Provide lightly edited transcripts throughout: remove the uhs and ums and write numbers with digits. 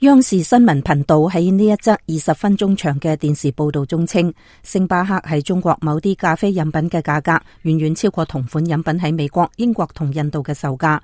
央視新聞頻道喺呢一則20分鐘長嘅電視報道中稱，星巴克喺中國某啲咖啡飲品嘅價格遠遠超過同款飲品喺美國、英國同印度嘅售價。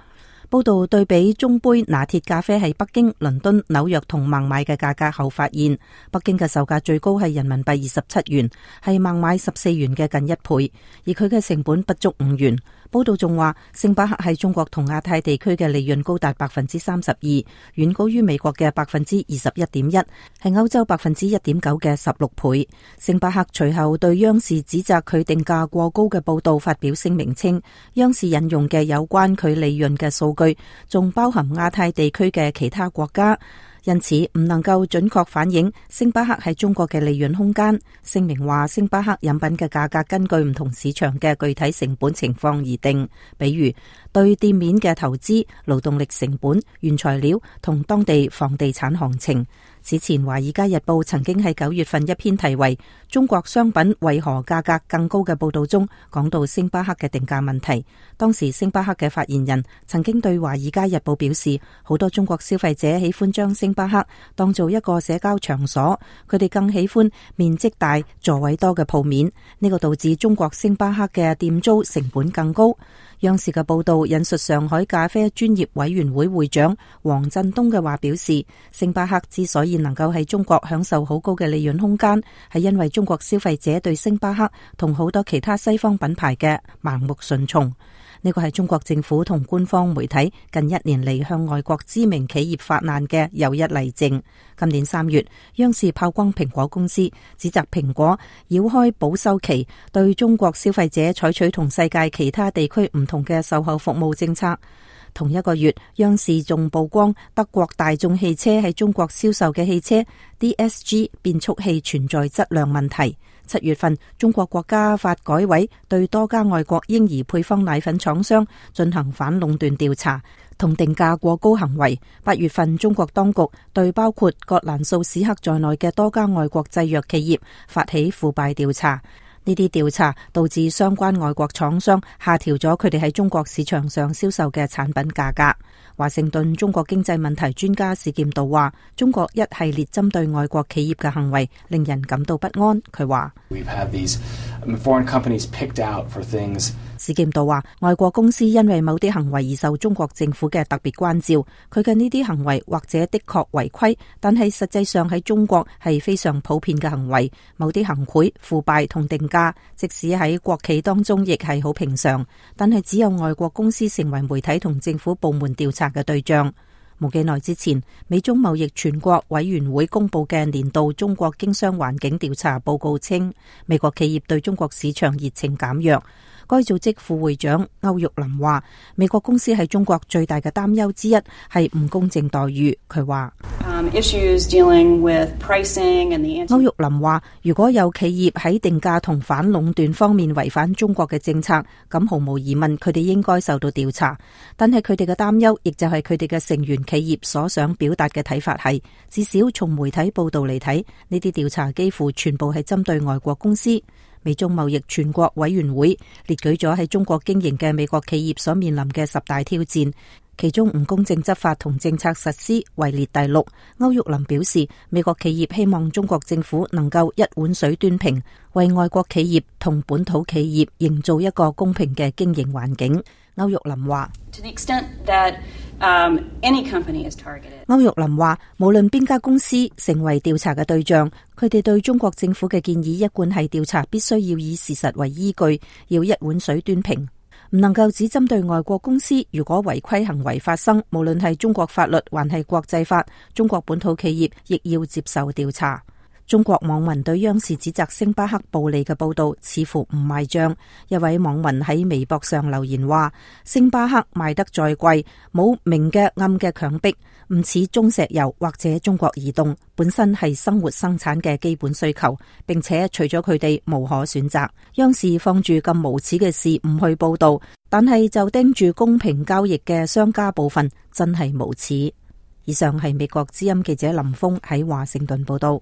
報道對比中杯拿鐵咖啡喺北京、倫敦、紐約同孟買嘅價格後發現，北京嘅售價最高係人民幣27元，係孟買14元嘅近1倍，而佢嘅成本不足5元。報道仲話，星巴克喺中國同亞太地區嘅利潤高達32%，遠高於美國嘅21.1%，係歐洲1.9%嘅16倍。星巴克隨後對央視指責佢定價過高嘅報道發表聲明稱，央視引用嘅有關佢利潤嘅數據，仲包含亞太地區嘅其他國家，因此唔能夠準確反映星巴克喺中國嘅利潤空間。聲明話，星巴克飲品嘅價格根據唔同市場嘅具體成本情況而定，比如對店面嘅投資、勞動力成本、原材料同當地房地產行情。此前，《華爾街日報》曾經喺9月份一篇題為《中國商品為何價格更高》嘅報道中，講到星巴克嘅定價問題。當時星巴克嘅發言人曾經對《華爾街日報》表示，好多中國消費者喜歡將星巴克當做一個社交場所，佢哋更喜歡面積大、座位多嘅鋪面，呢個導致中國星巴克嘅店租成本更高。央視嘅報道引述上海咖啡專業委員會會長黃振東嘅話表示，星巴克之所以能夠喺中國享受好高嘅利潤空間，係因為中國消費者對星巴克同好多其他西方品牌嘅盲目順從。呢個係中國政府同官方媒體近1年嚟向外國知名企業發難嘅又一例證。今年3月，央視炮轟蘋果公司，指責蘋果繞開保修期，對中國消費者採取同世界其他地區唔同嘅售後服務政策。同一個月，央視仲曝光德國大眾汽車喺中國銷售嘅汽車 DSG 變速器存在質量問題。7月份，中國國家發改委對多家外國嬰兒配方奶粉廠商進行反壟斷調查，同定價過高行為。8月份，中國當局對包括葛蘭素史克在內嘅多家外國製藥企業發起腐敗調查。呢啲調查導致相關外國廠商下調咗佢哋喺中國市場上銷售嘅產品價格。華盛頓中國經濟問題專家史劍道話，中國一系列針對外國企業嘅行為令人感到不安。佢話史劍道話，外國公司因為某啲行為而受中國政府嘅特別關照，佢嘅呢啲行為或者的確違規，但係實際上喺中國係非常普遍嘅行為。某啲行賄、腐敗同定價，即使喺國企當中亦係好平常，但係只有外國公司成為媒體同政府部門調查嘅對象。冇幾耐之前，美中貿易全國委員會公布嘅年度中國經商環境調查報告稱，美國企業對中國市場熱情減弱。該組織副會長歐玉林話，美國公司喺中國最大嘅擔憂之一係唔公正待遇。佢話歐玉林話，如果有企業喺定價同反壟斷方面違反中國嘅政策，咁毫無疑問佢哋應該受到調查。但係佢哋嘅擔憂亦就係佢哋嘅成員企業所想表達嘅睇法係，至少從媒體報道嚟睇，呢啲調查幾乎全部係針對外國公司。美中貿易全國委員會列舉咗喺中國經營嘅美國企業所面臨嘅10大挑戰，其中唔公正執法同政策實施位列第6。歐玉林表示，美國企業希望中國政府能夠一碗水端平，為外國企業同本土企業營造一個公平嘅經營環境。歐玉林話，歐玉林話，無論邊家公司成為調查嘅對象，佢哋對中國政府嘅建議一貫係調查必須要以事實為依據，要一碗水端平，唔能夠只針對外國公司。如果違規行為發生，無論係中國法律還係國際法，中國本土企業亦要接受調查。中國網民對央視指責星巴克暴利嘅報道似乎唔賣賬。一位網民喺微博上留言話，星巴克賣得再貴，冇明嘅暗嘅強迫，唔似中石油或者中國移動，本身係生活生產嘅基本需求，並且除咗佢哋無可選擇。央視放住咁無恥嘅事唔去報道，但係就盯住公平交易嘅商家部分，真係無恥。以上係美國之音記者林峰喺華盛頓報道。